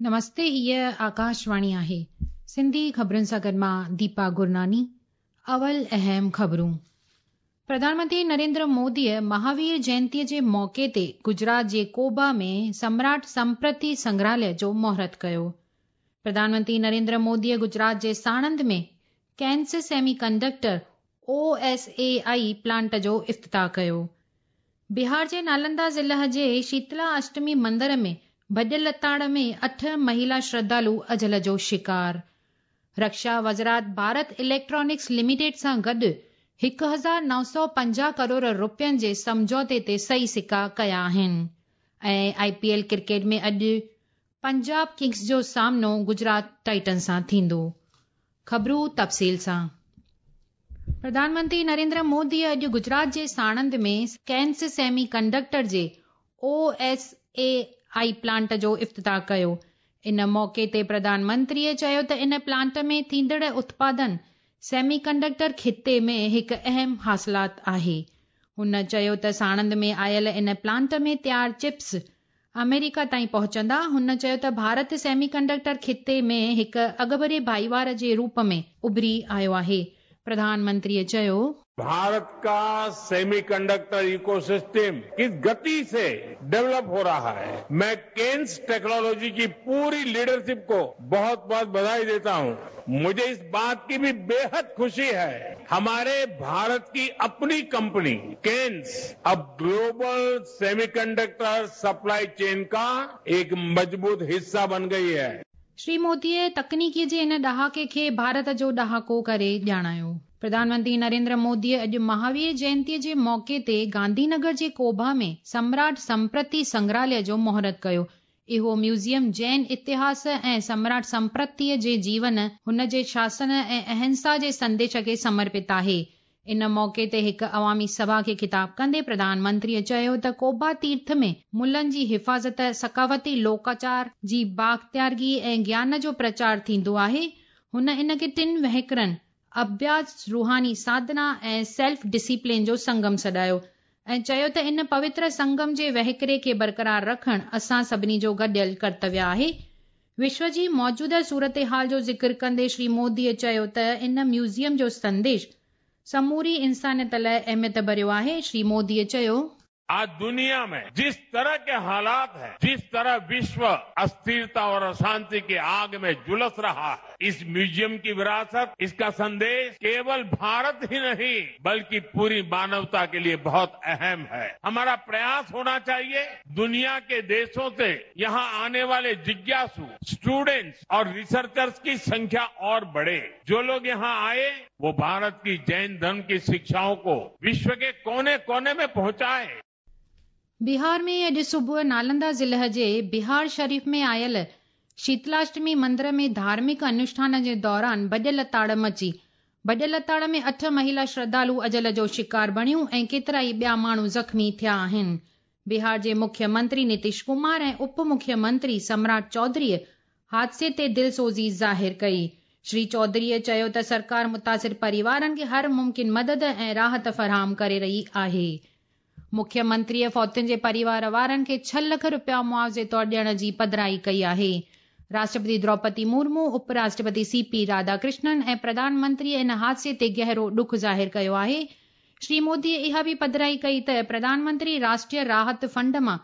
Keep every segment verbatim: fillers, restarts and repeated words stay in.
نمستي، هيء آڪاشواڻي آهي. سنڌي خبرن سان گڏ مان ديپا گرناني. اول اهم خبرون. پرڌان منتري نريندر موديء مهاوير جينتيء جي موقعي تي گجرات جي ڪوبا ۾ سمراٽ سمپرتي سنگرهاليه جو مهورت ڪيو. پرڌان منتري نريندر موديء گجرات جي ساڻند ۾ Kaynes semiconductor O S A I plant جو افتتاح ڪيو. بهار جي نالندا ضلع جي شيتلا اشٽمي مندر ۾ ڀڄ لتاڙ ۾ اٺ مهلا شرڌالو اجل جو شڪار. رڪشا وزارت ڀارت اليڪٽرانڪس لميٽيڊ سان گڏ هڪ هزار نو سؤ پنجاهه ڪروڙ رپين جي سمجهوتي تي صحيح سڪا ڪيا آهن. ۽ آءِ پي ايل ڪرڪيٽ ۾ اڄ پنجاب ڪنگز جو سامنو گجرات ٽائٽن سان ٿيندو. خبرون تفصيل سان. پرڌان منتري نريندر موديء اڄ گجرات جي ساڻند ۾ ڪينس سيمي ڪنڊڪٽر جي O S A I plant جو افتتاح ڪيو. ان موقعي تي پرڌان منتريء چيو ته ان پلانٽ ۾ ٿيندڙ اتپادن سيمي ڪنڊڪٽر خطي ۾ هڪ اهم حاصلات آهي. هن چيو ته ساڻند ۾ آيل ان پلانٽ ۾ تيار چپس آمريڪا تائين پهچندا. هن چيو ته ڀارت سيمي ڪنڊڪٽر خطي ۾ هڪ اڳڀري ڀائيوار جي روپ ۾ اڀري آيو آهي. پرڌان منتريء چيو، भारत का सेमीकंडक्टर इकोसिस्टम किस गति से डेवलप हो रहा है, मैं केन्स टेक्नोलॉजी की पूरी लीडरशिप को बहुत बहुत बधाई देता हूं। मुझे इस बात की भी बेहद खुशी है, हमारे भारत की अपनी कंपनी केन्स अब ग्लोबल सेमीकंडक्टर सप्लाई चेन का एक मजबूत हिस्सा बन गई है। श्री मोदीअ तकनीकीअ जे इन ॾहाके खे भारत जो ॾहाको करे ॼाणायो। प्रधान मंत्री नरेंद्र मोदीअ अॼु महावीर जयंतीअ जे मौक़े ते गांधीनगर जे कोभा में सम्राट संप्रति संग्रहालय जो मुहूर्त कयो। इहो म्यूज़ियम जैन इतिहास ऐं सम्राट संप्रतिअ जे जीवन, हुन जे शासन ऐं अहिंसा जे संदेश खे समर्पित आहे। इन मौक़े ते हिकु अवामी सभा खे ख़िताब कंदे प्रधान मंत्रीअ चयो त कोबा तीर्थ में मुलनि जी हिफ़ाज़त, सकाफ़ती लोकाचार जी बाख़्तियारगी ऐं ज्ञान जो प्रचार थींदो आहे। हुन इन खे टिनि वहिकरनि अभ्यास, रूहानी साधना ऐं सेल्फ डिसिप्लिन जो संगम सॾायो ऐं चयो त इन पवित्र संगम जे वहिकरे खे बरक़रार रखणु असां सभिनी जो गॾियल कर्तव्य आहे। विश्व जी मौजूदा सूरत हाल जो ज़िक्र कंदे श्री मोदीअ चयो त इन म्यूज़ियम जो संदेश समूरी इंसानियत लाइ अहमियत भरियो आहे। श्री मोदीअ चयो, आज दुनिया में जिस तरह के हालात हैं, जिस तरह विश्व अस्थिरता और अशांति की आग में झुलस रहा है, इस म्यूजियम की विरासत, इसका संदेश केवल भारत ही नहीं बल्कि पूरी मानवता के लिए बहुत अहम है। हमारा प्रयास होना चाहिए दुनिया के देशों से यहाँ आने वाले जिज्ञासु स्टूडेंट्स और रिसर्चर्स की संख्या और बढ़े। जो लोग यहाँ आए वो भारत की जैन धर्म की शिक्षाओं को विश्व के कोने कोने में पहुंचाए। बिहार में अॼु सुबुह नालंदा ज़िले जे बिहार शरीफ में आयल शीतलाष्टमी मंदिर में धार्मिक अनुष्ठान जे दौरान भॼ लताड़ मची। भॼ लताड़ में अठ महिला श्रद्धालु अजल जो शिकार बणियूं ऐं केतिरा ई ॿिया माण्हू ज़ख़्मी थिया आहिनि। बिहार जे मुख्यमंत्री नीतीश कुमार ऐं उप मुख्यमंत्री सम्राट चौधरीअ हादसे ते दिलसोज़ी ज़ाहिर कई। श्री चौधरीअ चयो त सरकार मुतासिर परिवारनि खे हर मुमकिन मदद ऐं राहत फराहम करे रही आहे। मुख्यमंत्रीअ फौतियुनि जे परिवार वारनि खे छह लख रुपया मुआवज़े तौर ॾियण जी पधराई कई आहे। राष्ट्रपति द्रौपदी मुर्मू, उपराष्ट्रपति सी पी राधाकृष्णन ऐं प्रधानमंत्रीअ इन हादसे ते गहरो ॾुख ज़ाहिर कयो आहे। श्री मोदीअ इहा बि पधराई कई त प्रधानमंत्री राष्ट्रीय राहत फंड मां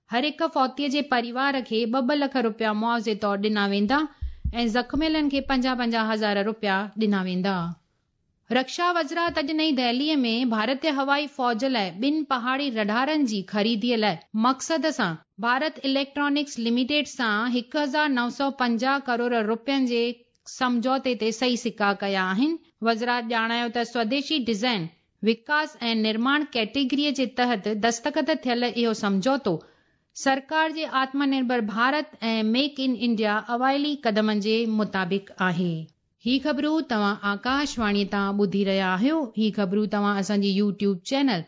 हर हिकु फौतीअ जे परिवार खे ॿ ॿ लख रुपया मुआवज़े तौर ॾिना वेंदा ऐं ज़ख़्मियलनि खे पंजाह पंजाह हज़ार रुपया ॾिना वेंदा। रक्षा वज़ारत अॼु नई दिल्लीअ में भारतीय हवाई फ़ौज लाइ ॿिनि पहाड़ी रडारनि जी ख़रीदीअ लाइ मक़सद सां भारत इलेक्ट्रॉनिक्स लिमिटेड सां हिकु हज़ार नौ सौ पंजाह करोड़ रुपयनि जे सम्झौते ते सही सिक्का कया आहिनि। वज़ारत ॼाणायो त स्वदेशी डिज़ाइन, विकास ऐं निर्माण कैटेगरीअ जे तहत दस्तख़त थियल इहो सम्झौतो सरकार जे आत्मनिर्भर भारत ऐं मेक इन इंडिया अवाइली क़दमनि जे मुताबिक़ आहे। ही ख़बरूं तव्हां आकाशवाणी तां ॿुधी रहिया आहियो। ही ख़बरूं तव्हां असांजी YouTube channel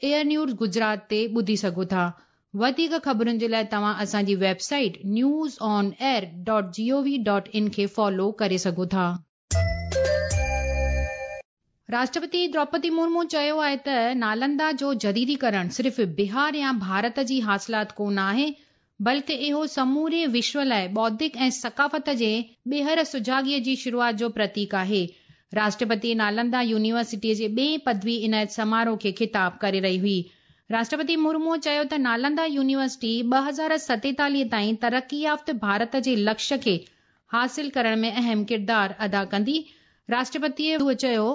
air news Gujarat ते ॿुधी सघो था। वधीक ख़बरुनि जे लाइ तव्हां असांजी website news on air dot G O V dot in खे फॉलो करे सघो था। राष्ट्रपति द्रौपदी मुर्मू चयो आहे त नालंदा जो जदीदीकरण सिर्फ़ बिहार या भारत जी हासिलात कोन आहे, بلڪه اهو سموري وشو لاءِ بوڌڪ ۽ ثقافت جي ٻيهر سجاڳيءَ جي شروعات جو پرتيڪ آهي. راشٽرپتي نالندا يونيورسٽيءَ جي ٻئي پدوي عنايت سماروهه کي خطاب ڪري رهي هئي. راشٽرپتي مرمو چيو ته نالندا يونيورسٽي ٻه هزار ستيتاليهه تائين ترقي يافته ڀارت جي لڪشيه کي حاصل ڪرڻ ۾ اهم ڪردار ادا ڪندي. راشٽرپتيءَ چيو،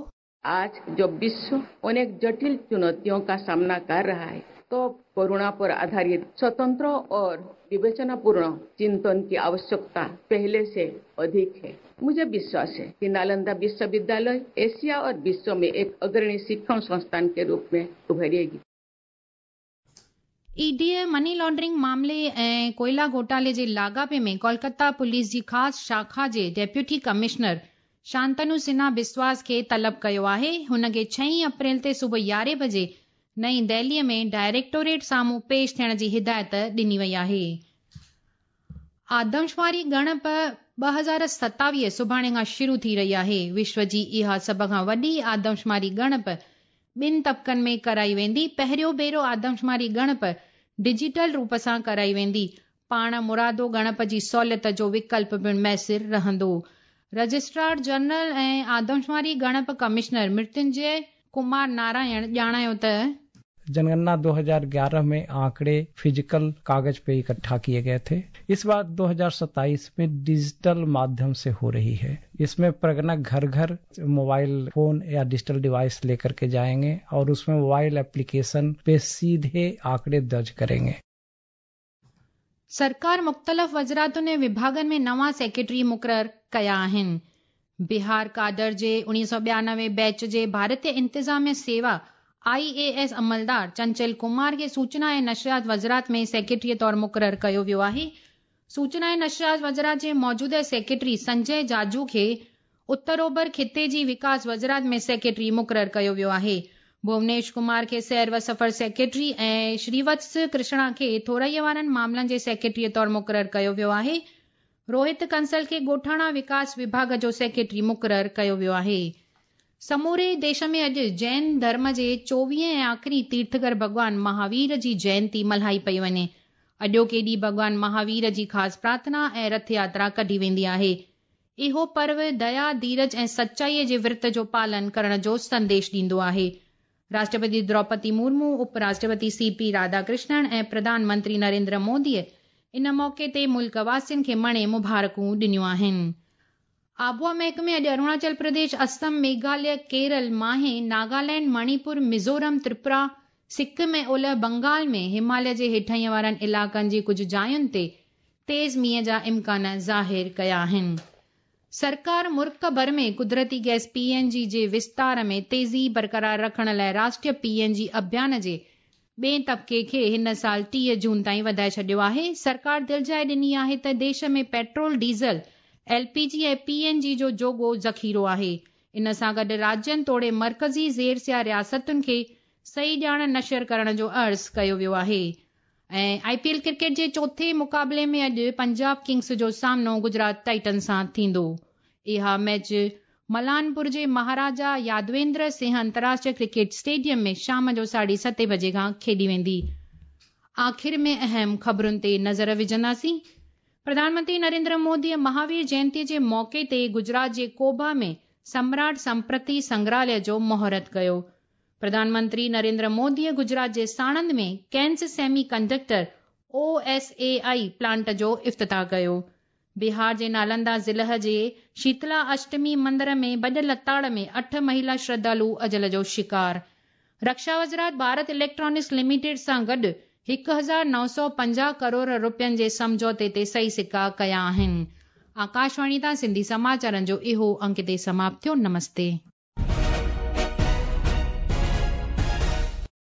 आज जब विश्व अनेक जटिल चुनौतियों का सामना कर रहा है तो करुणा पर आधारित स्वतंत्र और विवेचनापूर्ण चिंतन की आवश्यकता पहले से अधिक है। मुझे विश्वास है कि नालंदा विश्वविद्यालय एशिया और विश्व में एक अग्रणी शिक्षण संस्थान के रूप में उभरेगी। ईडीअ मनी लॉन्ड्रिंग मामले ऐं कोयला घोटाले जे लाॻापे में कोलकाता पुलिस जी ख़ासि शाखा जे डेप्यूटी कमिश्नर शांतनु सिन्हा बिस्वास खे तलब कयो आहे। हुन खे छह अप्रैल ते सुबुह यारहं बजे नई दिल्लीअ में डायरेक्टोरेट साम्हूं पेश थियण जी हिदायत ॾिनी वई आहे। आदमशुमारी ॻणप ٻه هزار ستاويهه सुभाणे खां शुरू थी रही आहे। विश्व जी इहा सभ खां वॾी आदमशुमारी ॻणप ॿिनि तबकनि में कराई वेंदी। पहिरियों भेरो आदमशुमारी ॻणप डिजिटल रूप सां कराई वेंदी। पाण मुरादो ॻणप जी सहूलियत जो विकल्प पिणु मयसिर रहंदो। रजिस्ट्रार जनरल ऐं आदमशुमारी ॻणप कमिश्नर मृत्युंजय कुमार नारायण ॼाणायो त जनगणना दो हज़ार ग्यारह में आंकड़े फिजिकल कागज पे इकट्ठा किए गए थे। इस बार दो हज़ार सत्ताईस में डिजिटल माध्यम से हो रही है। इसमें प्रगणक घर घर मोबाइल फोन या डिजिटल डिवाइस लेकर के जाएंगे और उसमें मोबाइल एप्लीकेशन पे सीधे आंकड़े दर्ज करेंगे। सरकार मुख़्तलिफ़ वज़ारतुनि ऐं विभागनि में नवां सेक्रेटरी मुक़ररु कया आहिनि। बिहार कादर जे उणिवीह सौ ॿियानवे बैच जे भारतीय इंतिज़ामिया सेवा आई ए एस अमलदार चंचल कुमार खे सूचना ऐं नशरियात वज़ारत में सेक्रेटरीअ तौरु मुक़ररु कयो वियो आहे। सूचना ऐं नशरियात वज़ारत जे मौजूदा सेक्रेटरी संजय जाजू खे उत्तर ओभर ख़िते जी विकास वज़ारत में सेक्रेटरी मुक़ररु कयो वियो आहे। भुवनेश कुमार खे सैर व सफ़र सेक्रेटरी ऐं श्रीवत्स कृष्णा खे थोराईअ वारनि मामलनि जे सेक्रेटरीअ तौरु मुक़ररु कयो वियो आहे। रोहित कंसल खे ॻोठाणा विकास विभाग जो सेक्रेटरी मुक़ररु कयो वियो आहे। समूरे देश में अॼु जैन धर्म जे चोवीह ऐं आख़िरी तीर्थकर भॻवान महावीर जी जयंती मल्हाई पई वञे। अॼोके ॾींहुं भॻवान महावीर जी ख़ासि प्रार्थना ऐं रथ यात्रा कढी वेंदी आहे। इहो पर्व दया, धीरज ऐं सचाईअ जे विर्त जो पालन करण जो संदेश ॾींदो आहे। राष्ट्रपति द्रौपदी मुर्मू, उपराष्ट्रपति सी पी राधाकृष्णन ऐं प्रधानमंत्री नरेंद्र मोदीअ इन मौक़े ते मुल्क वासियुनि खे मणे मुबारकूं ॾिनियूं आहिनि। आबहावा महकमे अॼु अरुणाचल प्रदेश, असम, मेघालय, केरल, माहे, नागालैंड, मणिपुर, मिज़ोरम, त्रिपुरा, सिक्किम ऐं ओलह बंगाल में हिमालय जे हेठाईं वारनि इलाइक़नि जी कुझु जायुनि ते तेज़ मींहं जा इम्कान ज़ाहिर कया आहिनि। सरकार मुल्क भर में कुदरती गैस पी एन जी जे विस्तार में तेज़ी बरक़रार रखण लाइ राष्ट्रीय पी एन जी अभियान जे ॿिए तबक़े खे हिन साल टीह जून ताईं वधाए छॾियो आहे। सरकार दिलजाइ ॾिनी आहे त देश में petrol, diesel, L P G ऐं पी एन जी जो जोॻो ज़ख़ीरो आहे। इन सां गॾु राज्यनि तोड़े मर्कज़ी ज़ेर रियासतुनि खे सही ॼाण नशर करण जो अर्ज़ु कयो वियो आहे। ऐं I P L cricket जे चोथे मुक़ाबले में अॼु पंजाब किंग्स जो सामनो गुजरात टाइटन सां थींदो। इहा मैच मलानपुर जे महाराजा यादवेंद्र सिंह अंतर्राष्ट्रीय क्रिकेट स्टेडियम में शाम जो साढे सते बजे खां खेॾी वेंदी। आख़िर में अहम ख़बरुनि ते नज़र विझंदासीं। प्रधानमंत्री नरेंद्र मोदीअ महावीर जयंतीअ जे मौक़े ते गुजरात जे कोबा में सम्राट संप्रति संग्रहालय जो मुहूर्त कयो। प्रधानमंत्री नरेंद्र मोदीअ गुजरात जे साणंद में Kaynes semiconductor O S A I plant जो इफ़्तिताह कयो। बिहार जे नालंदा ज़िले जे शीतला अष्टमी मंदिर में भॼ लताड़ में अठ महिला श्रद्धालु अजल जो शिकार। रक्षा वज़ारत भारत इलेक्ट्रॉनिक्स लिमिटेड सां गॾु हिकु हज़ार नौ सौ पंजाह करोड़ रुपयनि जे सम्झौते ते सही सिक्का कया आहिनि। आकाशवाणी तां सिंधी समाचारनि जो इहो अंक हिते समाप्त थियो। नमस्ते।